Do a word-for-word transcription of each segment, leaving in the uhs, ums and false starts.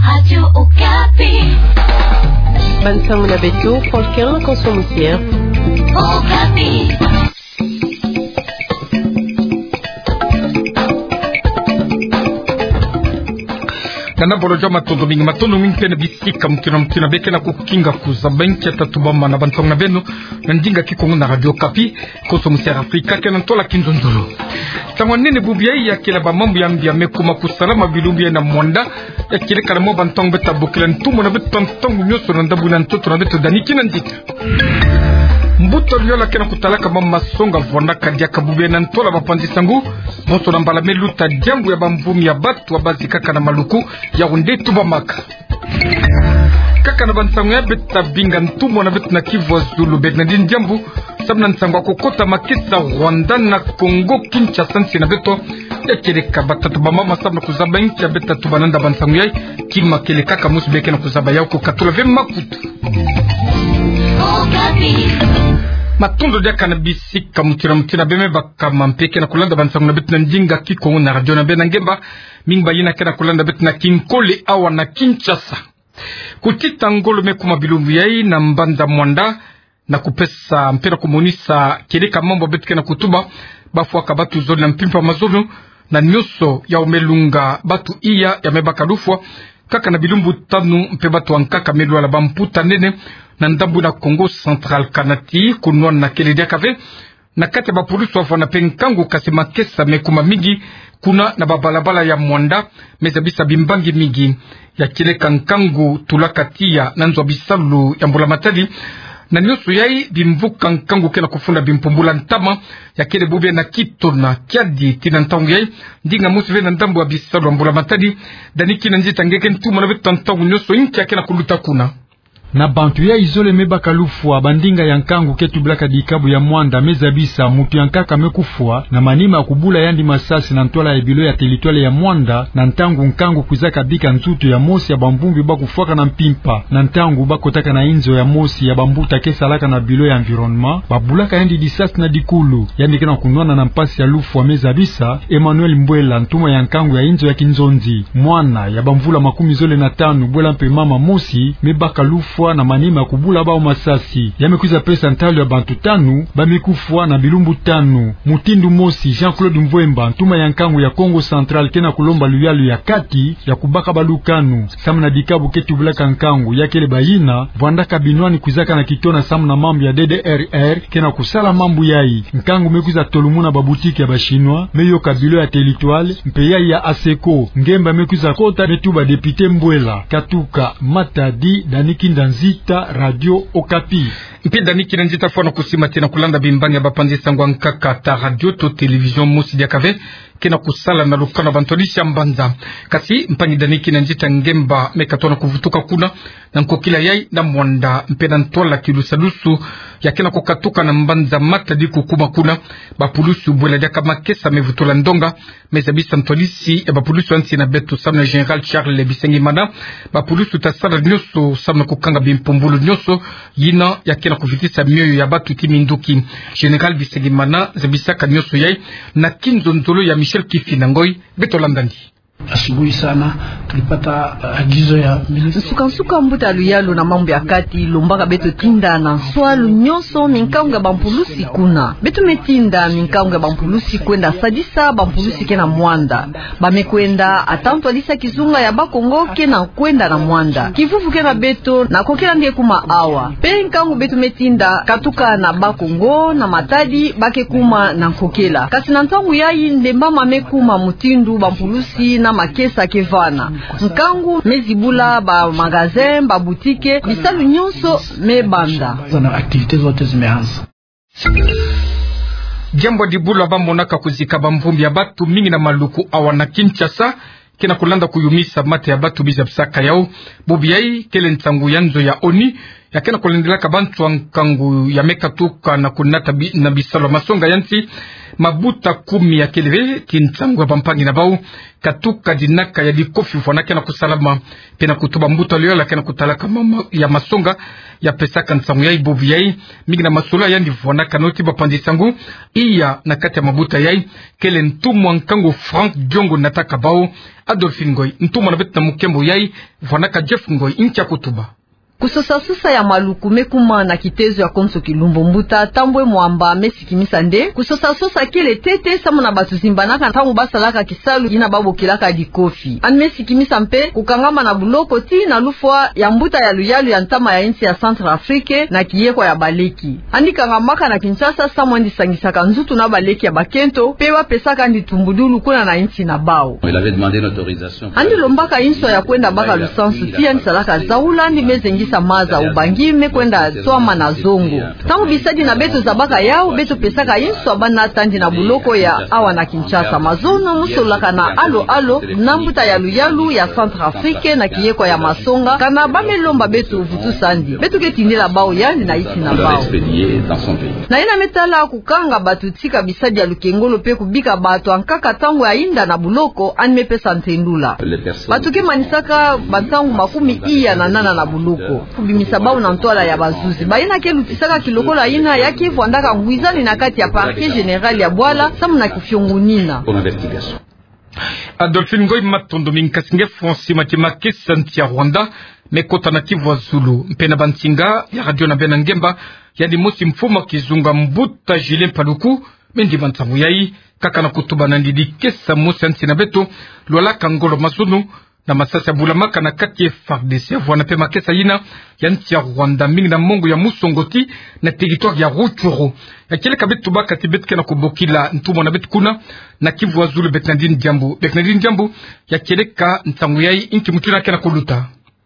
Radio Okapi. Bansango na beto, Franklin Konso Moussier. Okapi. Nana bolo jwa matondo mingi, matondo mingi mpe na bisika mutindu na mutindu beke na kukinga kuzaba nkia tatu bamana bansango na beno na ndinga Kikongo na Radio Okapi. Konso Moussier Afrika, kena ntola kinzonzolo. Ntangu nene bubu yayi ya kela ba mambu ya mbi ya me kuma kusalama bilumbu yayi na Muanda, ya kele kana mo bantangu beto ta bokila ntumwa na beto ntangu nyonso na ndambu na ntoto na beto Dany Kinanzita. Mbuta luyala kena kutalaka mama songa vwandaka diaka bubu yayi na ntola bapanzi nsangu, bonso na mbala me luta diambu ya bamvumi ya batu ya bazi kaka na maluku, ya onde tubamaka. Kaka na bansangu yayi beto ta binga ntumwa na beto na Kivu ya Zulu, Bernardine Diambu, samu na nsangu ya kukota makesa Rwanda na Congo Kinshasa nsi na beto. Ya kele ka batata bamama samu na kuzaba nkia beto ta tuba nanda bansangu yayi, kima kele kaka mosi beke na kuzaba yawu, kukatula ve makutu. Matondo diaka na bisika mutindu na mutindu beno me baka ma mpe ke na kulanda bansangu na beto na ndinga Kikongo na radio na beno na ngemba, mingi bayina ke na kulanda beto na kinkole awa na Kinshasa. Kutita ngolo me kuma bilumbu yayi na mbanza Muanda, na kupesa mpe na kumonisa kele ka mambu beto ke na kutuba, bafwaka batu zole na mpimpa mazono, na nyonso yawu me lunga batu iya ya me baka lufwa, kaka na bilumbu tanu mpe batu ya nkaka me lwala, bamputa nene, na ndambu na Kongo Central, kana ti kunwana kele diaka ve. Na kati ya bapulusu wavwanda mpe nkangu, kasi makesa me kuma mingi kuna na babalabala ya Muanda, me zabisa bimbangi mingi. Ya kele ka nkangu tulaka tiya na nzo ya bisalu ya mbula matadi. Na nyonso yayi, bimvuka nkangu ke na kufunda bimpumbula ntama. Ya kele bubu yayi na Kitona, Kiadi, tii na ntangu yayi, ndinga mosi ve na ndambu ya bisalu ya mbula matadi. Dany Kinanzita, nge ke ntumwa na beto ntangu nyonso, nki ke na kuluta kuna? Na bantu yayi zole me baka lufwa, bandinga ya nkangu ke tubilaka dikabu ya Muanda me zabisa mutu ya nkaka me kufwa, na manima ya kubula yandi masasi na ntwala ya bilo ya territoire ya Muanda, na ntangu nkangu kwizaka bika nzutu ya mosi ya bamvumbi ba kufwaka na mpimpa, na ntangu ba kotaka na inzo ya mosi ya bambuta ke salaka na bilo ya environnement, babulaka yandi lisasi na dikulu. Yandi ke na kunwana na mpasi ya lufwa, me zabisa Emmanuel Mbwela, ntumwa ya nkangu ya inzo ya kinzonzi. Mwana ya bamvula makumi zole na tanu, bwela mpe mama mosi, me baka lufwa na manima ya kubula bawu masasi. Ya me kwiza pesa ntalu ya bantu tanu ba me kufwa na bilumbu tanu. Mutindu mosi, Jean-Claude Mvwemba, ntumwa ya nkangu ya Kongo Central, ke na kulomba luyalu ya kati ya kubaka balukanu. Samu na dikabu ke tubilaka nkangu, ya kele bayina vwandaka binwani kwizaka na Kitona samu na mambu ya D D R R, ke na kusala mambu yayi. Nkangu me kwiza tolumuna baboutique ya ba Chinois, me yoka bilo ya territoire, mpe yayi ya ASECO. Ngemba me kwiza kota, me tuba député Mbwela. Katuka Matadi, Dany Kinanzita, Radio Okapi. Mpe Dany Kinanzita, fwana kusimba ti na kulanda bimbangi ya bapanzi nsangu ya nkaka ta radio to télévision mosi diaka ve ke na kusala na lukanu ya bantwadisi ya mbanza. Kasi mpangi Dany Kinanzita, ngemba me katono kuvutuka kuna na nkokila yayi na Muanda, mpe na ntwala kilusalusu ya ke na kukatuka na mbanza Matadi kukuma kuna. Bapulusu bwela diaka makesa me vutula ndonga, me zabisa ntwadisi ya bapulusu ya nsi na beto samu na Général Charles Bisengimana, bapulusu ta sala nyonso samu na kukanga bimpumbulu nyonso yina ya ke na kuvitisa mioyo ya batu ti minduki. Général Bisengimana zabisaka nyonso yayi na kinzonzolo ya Michel Kifina Ngoy. Beto landandi. Asubuhi sana tulipata, uh, agizo ya ministre. Nsuka-nsuka mbuta luyalu na mambu ya kati lombaka beto tinda na nswalu nyonso minkangu ya bampulusi kuna. Beto me tinda minkangu ya bampulusi kwenda sadisa bampulusi ke na Muanda. Ba me kwenda, ata ntwadisi ya kizunga ya Bakongo ke na kwenda na Muanda. Kivuvu ke na beto na nkokila nge kuma awa. Mpe nkangu beto me tinda katuka na Bakongo na Matadi, ba ke kuma na nkokila. Kasi na ntangu yayi, ndemba ma me kuma mutindu bampulusi na makesa ke vana. Nkangu me zibula ba magasin, ba boutique, bisalu nyonso me banda. Zana activités zote zimeanza. Diambu ya dibula ba monaka kuzika bamvumbi ya batu mingi na maluku awa na Kinshasa ke na kulanda kuyumisa mata ya batu, biza bisaka yawu. Bubu yayi kele nsangu ya nzo ya ONU ya ke na kulendelaka bantu ya nkangu ya me katuka na kunata bi-, na bisalu ya masonga ya nsi, mabuta kumi ya kele ve ti nsangu ya bampangi na bau, katuka dinaka ya dikofi vwana ke na kusalama, mpe na kutuba mbuta ya luyalu ya ke na kutalaka ma-, ma-, ya masonga, ya pesaka nsangu yai bobu yai, mingi na masolo yandi vwanaka noti bapanzi nsangu, iya na kati ya mabuta yai, kele ntumwa nkangu Franck Diongo nataka bau, Adolphine Ngoy, ntumwa na beto na mukembo yai, vwanaka Jeff Ngoy, nkia kutuba. Kusosa-sosa ya maluku me kuma na kitezo ya konso kilumbu mbuta Thambwe Mwamba me sikimisa nde kusosa-sosa kele ntete samu na bantu zimbanaka ntangu basalaka kisalu yina babokilaka dikofi. Yandi me sikimisa mpe kukangama na buloko tii na lufwa ya mbuta ya luyalu ya ntama ya nsi ya Centrafrique na kiyekwa ya baleki. Yandi kangamaka na Kinshasa samu yandi sangisaka nzutu na baleki ya bakento, mpe bapesaka yandi tumbudulu kuna na nsi na bau. Il avait demandé une autorisation. Yandi lombaka inswa ya kwenda baka lusansu, tii yandi salaka zawula, yandi me zengisa maza, ubangi me kwenda twama na zongo. Ntangu bisadi na beto zabaka yau, beto pesaka inswa bana tandi na buloko ya awa na Kinshasa. Mazono mu sololaka na alo-alo na mbuta ya luyalu ya Centrafrique na kiyekwa ya masonga, kana ba me lomba beto vutusa yandi. Beto ke tindela bau yandi na nsi na bau. Na yina me tala kukanga bantu tika bisadi ya lukengolo mpe kubika bantu ya nkaka ntangu ya yinda na buloko, yandi me pesa ntendula. Bantu ke manisaka bantangu makumi iya na nana na buloko. Kubimisa bau na ntwala ya bazuzi. Bayina ke lutisaka kilokola yina ya ke vwandaka ngwizani na kati ya Parquet Général ya Douala, samu na kufiongonina. Adolphine Ngoy, matondo mingi. Kasi nge Francis Matima, makesa nsi ya Rwanda me kota na Kivu ya zulu, mpe na bansinga ya radio na bena ngemba, yandi mosi mfumu ya kizunga mbuta Julien Paluku me ndima nsangu yai, kaka na kutuba nandi dikesa mosi ya nsi na beto, lwalaka ngolo mazono, na masasi ya bulamaka na kati ya F A R D C. Vwana mpe makesa yina ya nsi ya Rwanda, mingi na mongo ya Musongati, na territoire ya Rutshuru. Ya kieleka beto tubaka ti beto ke na kubokila ntumwa na beto kuna na Kivu ya zulu, Bernardine Diambu. Bernardine Diambu, ya kieleka nsangu yai, nki mutu yina ke na kuluta?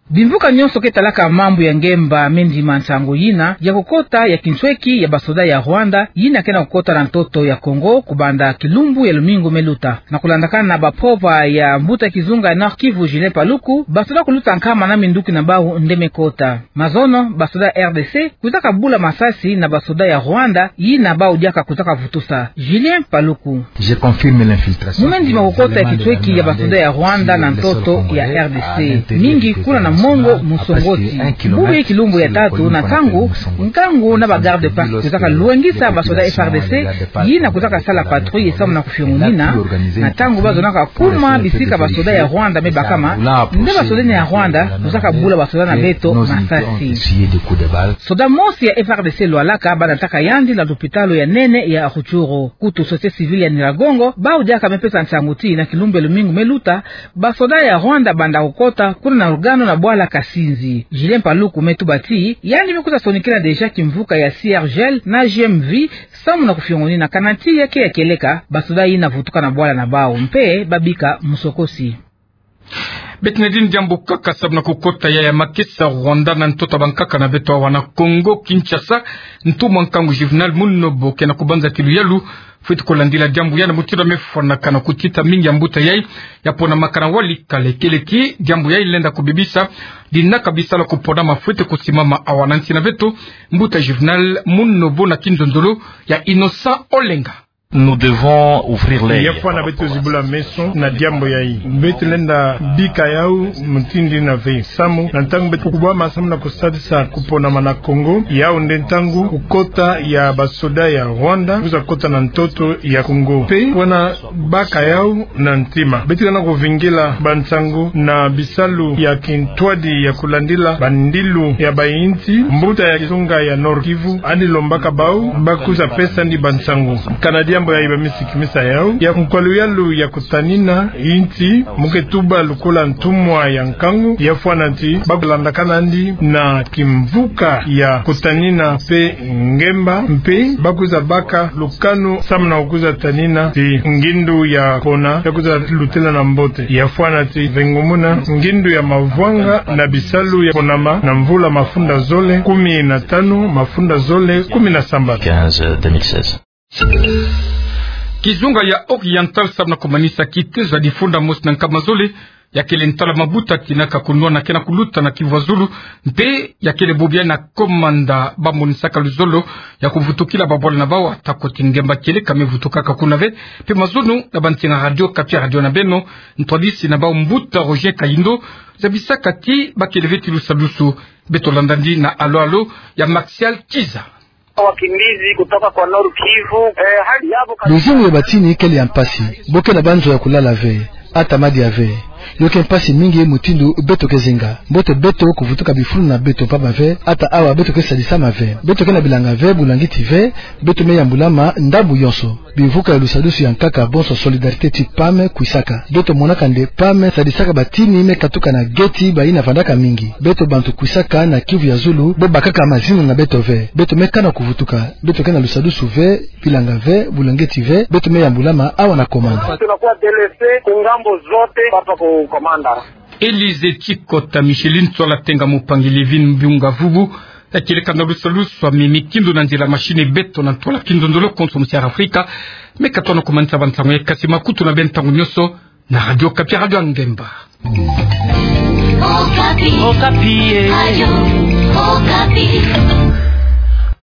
Bimvuka nyonso ke talaka mambu ya ngemba me ndima nsangu yina ya kukota ya kintweki ya basoda ya Rwanda yina ke na kukota na ntoto ya Kongo kubanda kilumbu ya lumingu me luta. Na kulandakana na baprova ya mbuta kizunga ya Nord-Kivu, Julien Paluku, basoda kuluta nkama na minduki na bau nde me kota. Mazono, basoda ya R D C kwizaka bula masasi na basoda ya Rwanda yina bau diaka kwizaka vutusa. Julien Paluku. Je confirme l'infiltration. Mu me ndima kukota ya kintweki ya basoda ya Rwanda na ntoto ya R D C, mingi kuna na mongo Musongati. Bubu ye kilumbu ya tatu na ntangu, nkangu na ba garde-parc kwizaka lwengisa basoda F A R D C yina kwizaka sala patrouille samu na kufiongonina, na ntangu bazonaka kuma bisika basoda ya Rwanda me bakama, nde basoda yina ya Rwanda kwizaka bula basoda na beto masasi. Soda mosi ya F A R D C lwalaka, banataka yandi na lopitalo ya nene ya Rutshuru. Kutu société civile ya Nyiragongo, bau diaka me pesa nsangu ti na kilumbu ya lumingu me luta, basoda ya Rwanda banda kukota kuna na Rugano na bwala Kasinzi. Julien Paluku me tuba ti yandi me kwiza sonikila déjà kimvuka ya C R G L na G M V samu na kufiongonina, kana ti ya ke ya kieleka basoda yina vutuka na bwala na bau mpe babika Musongati. Bernardine Diambu, kaka samu na kukota ya, ya makesa Rwanda na ntoto ya bankaka na beto awa na Kongo Kinshasa, ntumwa nkangu Juvenal Munobo ke na kubanza ti luyalu fweti kulandila diambu yandi, mutindu ya me fwanakana kutita mingi ya mbuta yai ya ponamaka na Walikale. Kieleka ti diambu yai lenda kubebisa dinaka bisalu ya kuponama fweti kusimama awa na nsi na beto. Mbuta Juvenal Munobo na kinzonzolo ya Innocent Olenga. Nous devons ouvrir l'œil. Ya fwana beto zibula meso na diambu yai. Beto lenda bika yau mutindu yina ve. Samu na ntangu beto kubwama samu na kusadisa kuponama na Kongo, yau nde ntangu kukota ya basoda ya Rwanda kwiza kota na ntoto ya Kongo. Mpe wana baka yau na ntima. Beto ke na kuvingila bansangu na bisalu ya kintwadi ya kulandila bandilu ya bayinsi. Mbuta ya kizunga ya Nord-Kivu yandi lombaka bau bakwiza pesa yandi bansangu. Kana diambu yai ba me sikimisa yau ya nkwa luyalu ya kutanina yinsi, mu ke tuba lokola ntumwa ya nkangu, ya fwana ti ba kulandakana yandi na kimvuka ya kutanina mpe ngemba, mpe bakwiza baka lukanu samu na kukwiza tanina ti ngindu ya pona ya kwiza lutela na mbote. Ya fwana ti vengumuna ngindu ya mavwanga na bisalu ya ponama na mvula mafunda zole kumi na tanu, mafunda zole kumi na sambanu. Quinze, deux mille seize. Kizunga ya Oriental samu na kumanisa kitezo ya difunda mosi na nkama zole ya kele ntwala mabuta tina ka kunwana ke na kuluta na Kivu ya Zulu, mpe ya kele bobo ya na komanda ba monisaka luzolo ya kuvutukila babwala na bau ata koti ngemba kele ka me vutukaka kuna ve. Mpe mazono na bansinga Radio Okapi, radio na beno, ntwadisi na bau mbuta Roger Kayindo, zabisaka ti ba kele ve ti lusadusu. Beto landa ndi na alo-alo ya Martial Kiza. Wakimbizi kutoka kwa Nord Kivu, eh, hali yabo ka- Luzingu ya batini kele ya mpasi, bo ke na banzo ya kulala ve, ata madia ve. Yo ke mpasi mingi mutindu beto ke zinga. Mbote beto kuvutuka bifulu na beto mpamba ve, ata awa beto ke sadisama ve. Beto ke na bilanga ve, bulangiti ve, beto me yambulama ndambu yonso. Bivuka ya lusadusu ya nkaka bonso Solidarité ti PAM kwisaka. Beto monaka nde PAM sadisaka batini me katuka na geti bayina vandaka mingi. Beto bantu kwisaka na Kivu ya Zulu, bo bakaka mazingu na beto ve. Beto me kana kuvutuka. Beto ke na lusadusu ve, bilanga ve, bulangiti ve, beto me yambulama awa na komanda. Tunakuwa délaissés ku ngambo zote hapa ku komanda. Élysée Tchikota, Micheline Tsola Tenga, Mupangi Livine Mbiunga Vubu, ya kieleka na lusalusu ya mimi kindo na nzila machine beto na ntwala kindondolo konso mu Sierra Africa. Me katona kumanisa bansango ya kasi makutu na beno ntangu nyonso na Radio Okapi, radio ya ngemba. Okapi. Okapi, eh. Radio Okapi.